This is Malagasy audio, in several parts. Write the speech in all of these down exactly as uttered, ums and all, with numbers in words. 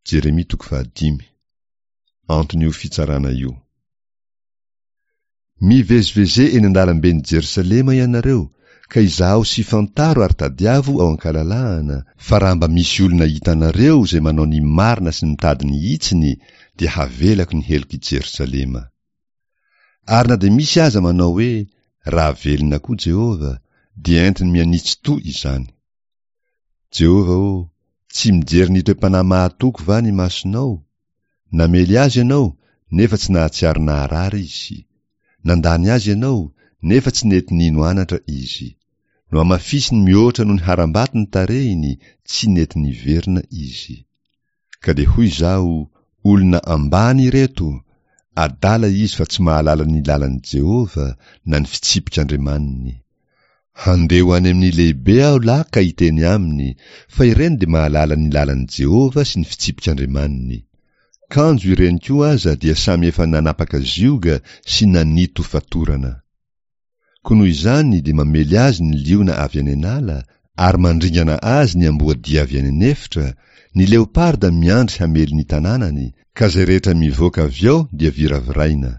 Jeremia toko fahadimy. Anton'io fitsarana io. Miveziveze eny an-dalamben'i Jerosalema ianareo, ka izaho sy fantaro ary tadiavo ao an-kalalahana, fa raha mba misy olona hitanareo izay manao ny marina sy mitady ny hitsiny, dia havelako ny helok'i Jerosalema. Ary na dia misy aza manao hoe, raha velona koa Jehovah, dia entiny mihanitsy toa izany. Jehovah ô, tsy mijery ny toe-panahy mahatoky va ny masonao? Namely azy ianao, nefa tsy nahatsiaro naharary izy. Nandany azy ianao, nefa tsy nety nino anatra izy. Nohamafisiny mihoatra noho ny harambato ny tarehiny, tsy nety niverina izy. Ka dia hoy izaho, olona ambany ireto, adala izy fa tsy mahalala ny lalan'i Jehovah na ny fitsipik'Andriamaniny. Handeha ho any amin'ny lehibe aho lahy ka hiteny aminy, fa ireny dia mahalala ny lalan'i Jehovah sy ny fitsipik'Andriamaniny. Kanjo ireny koa aza dia samy efa nanapaka zioga sy nanito fatorana. Koa noho izany dia mamely azy ny liona avy any an'ala, ary mandringana azy ny amboadia avy any an'efitra, ny leoparda miandry hamely ny tanànany, ka izay rehetra mivoaka avy ao dia viraviraina.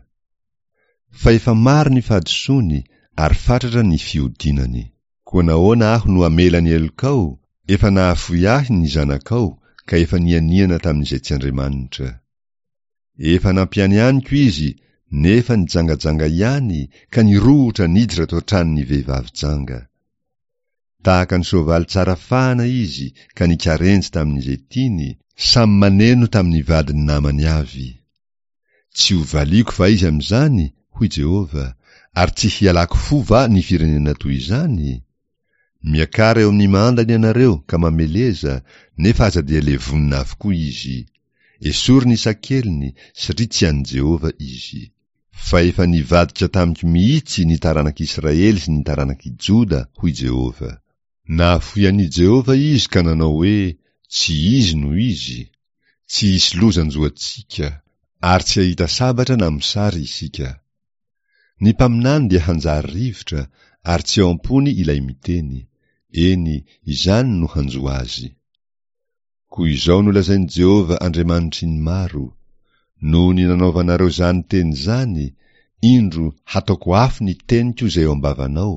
Fa efa maro ny fahadisoany ary fatratra ny fihodinany. Koa nahoana aho no hamela ny helokao? Efa nahafoy ahy ny zanakao, ka efa nianiana tamin'izay tsy Andriamanitra. Efa nampianianiko izy, nefa nijangajanga ihany, ka nirohotra niditra tao an-tranon'ny vehivavy janga. Tahaka ny soavaly tsara fahana izy, ka nikarenjy tamin'izay tiany, samy maneno tamin'ny vadin'ny namany avy. Tsy ho valiako va izy amin'izany, hoy Jehovah, ary tsy hialako fo va ny firenena toy izany? Miakara eo amin'ny mandany ianareo ka mameleza, nefa aza dia levonina avokoa izy. Esory ny sakeliny, satria tsy an'i Jehovah izy. Fa efa nivadika tamiko mihitsy ny taranak'Israely sy ny taranak'i Joda, hoy Jehovah. Nahafoy an'i Jehovah izy ka nanao hoe, Tsy izy no izy. Tsy hisy loza hanjo antsika, ary tsy hahita sabatra na mosary isika. Ny mpaminany dia hanjary rivotra, ary tsy ao am-pony ilay miteny. Eny, izany no hanjo azy. Koa izao no lazain'i Jehovah Andriamanitry ny maro, Noho ny nanaovanareo izany teny izany, indro, hataoko afo ny teniko izay eo am-bavanao,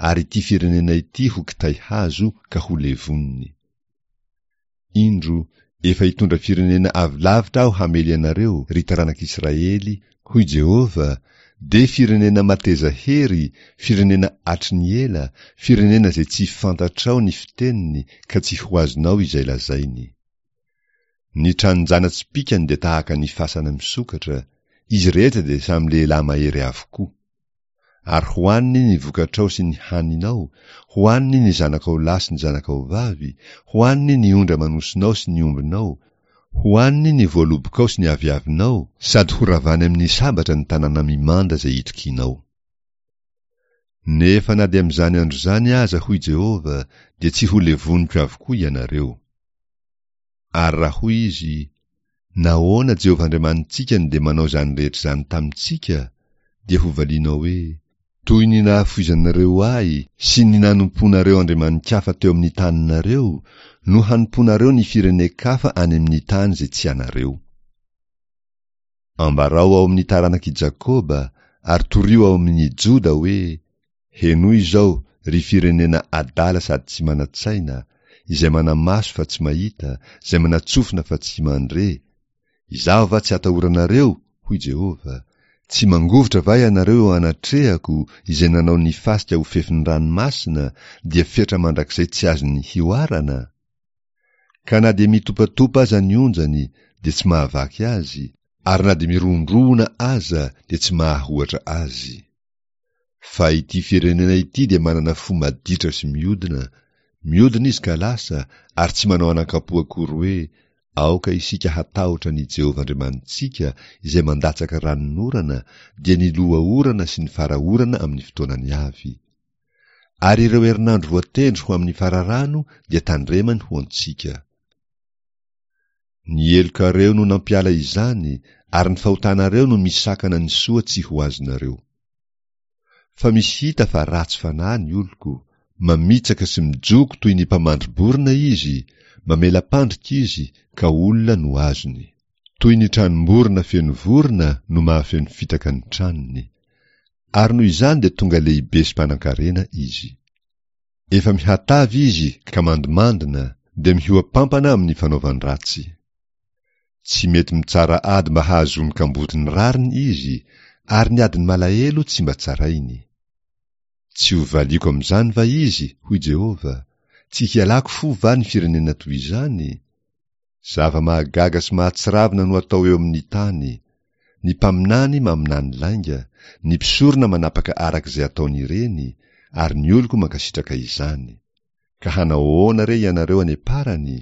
ary ity firenena ity ho kitay hazo ka ho levoniny. Indro, efa hitondra firenena avy lavitra aho hamely anareo, ry taranak'Israely, hoy Jehovah, dia firenena mateza hery, firenena hatry ny ela, firenena izay tsy fantatrao ny fiteniny ka tsy ho azonao izay lazainy. Ny tranon-jana-tsipìkany dia tahaka ny fasana misokatra, izy rehetra dia samy lehilahy mahery avokoa. Ary hohaniny ny vokatrao sy ny haninao, hohaniny ny zanakao lahy sy ny zanakao vavy, hohaniny ny ondry aman'osinao sy ny ombinao, hohaniny ny voalobokao sy ny aviavinao, sady horavany amin'ny sabatra ny tanàna mimanda izay itokianao. Nefa na dia amin'izany andro izany aza, hoy Jehovah, dia tsy ho levoniko avokoa ianareo. Ary raha hoy izy, Nahoana Jehovah Andriamanitsika no dia manao izany rehetra izany tamintsika? dia hovalianao hoe, Toy ny nahafoizanareo ahy sy ny nanompoanareo andriamani-kafa teo amin'ny taninareo, no hanompoanareo ny firenen-kafa any amin'ny tany izay tsy anareo. Ambarao ao amin'ny taranak'i Jakoba, ary torio ao amin'i Joda hoe, Henoy izao, ry firenena adala sady tsy manan-tsaina, izay mana-maso fa tsy mahita, izay mana-tsofina fa tsy mandre, Izaho va tsy atahoranareo? hoy Jehovah. Tsy mangovitra va ianareo eo anatrehako, izay nanao ny fasika ho fefin'ny ranomasina, dia fetra mandrakizay tsy azony hihoarana? Ka na dia mitopatopa aza ny onjany, dia tsy mahavaky azy, ary na dia mirohondrohona aza, dia tsy mahahoatra azy. Fa ity firenena ity dia manana fo maditra sy miodina, miodina izy ka lasa, ary tsy manao anakam-po akory hoe, Aoka isika hatahotra an'i Jehovah Andriamanitsika, izay mandatsaka ranonorana, dia ny loha orana sy ny fara orana amin'ny fotoanany avy. Ary ireo herinandro voatendry ho amin'ny fararano dia tandremany ho antsika. Ny helokareo no nampiala izany, ary ny fahotanareo no misakana ny soa tsy ho azonareo. Fa misy hita fa ratsy fanahy ny oloko, mamitsaka sy mijoko toy ny mpamandri-borona izy, Mamela-pandrika izy, ka olona no azony. Toy ny tranom-borona feno vorona no mahafeno fitaka ny tranony. Ary noho izany dia tonga lehibe sy mpanan-karena izy. Efa mihatavy izy ka mandomandona, dia mihoa-pampana amin'ny fanaovan-dratsy. Tsy mety mitsara ady mba hahazoan'ny kamboty ny rariny izy, ary ny adin'ny malahelo tsy mba tsarainy. Tsy ho valiako amin'izany va izy, hoy Jehovah, tsy hialako fo va ny firenena toy izany? Zava-mahagaga sy mahatsiravina no atao eo amin'ny tany. Ny mpaminany maminany lainga, ny mpisorona manapaka araka izay ataony ireny, ary ny oloko mankasitraka izany. Ka hanao ahoana re ianareo any am-parany?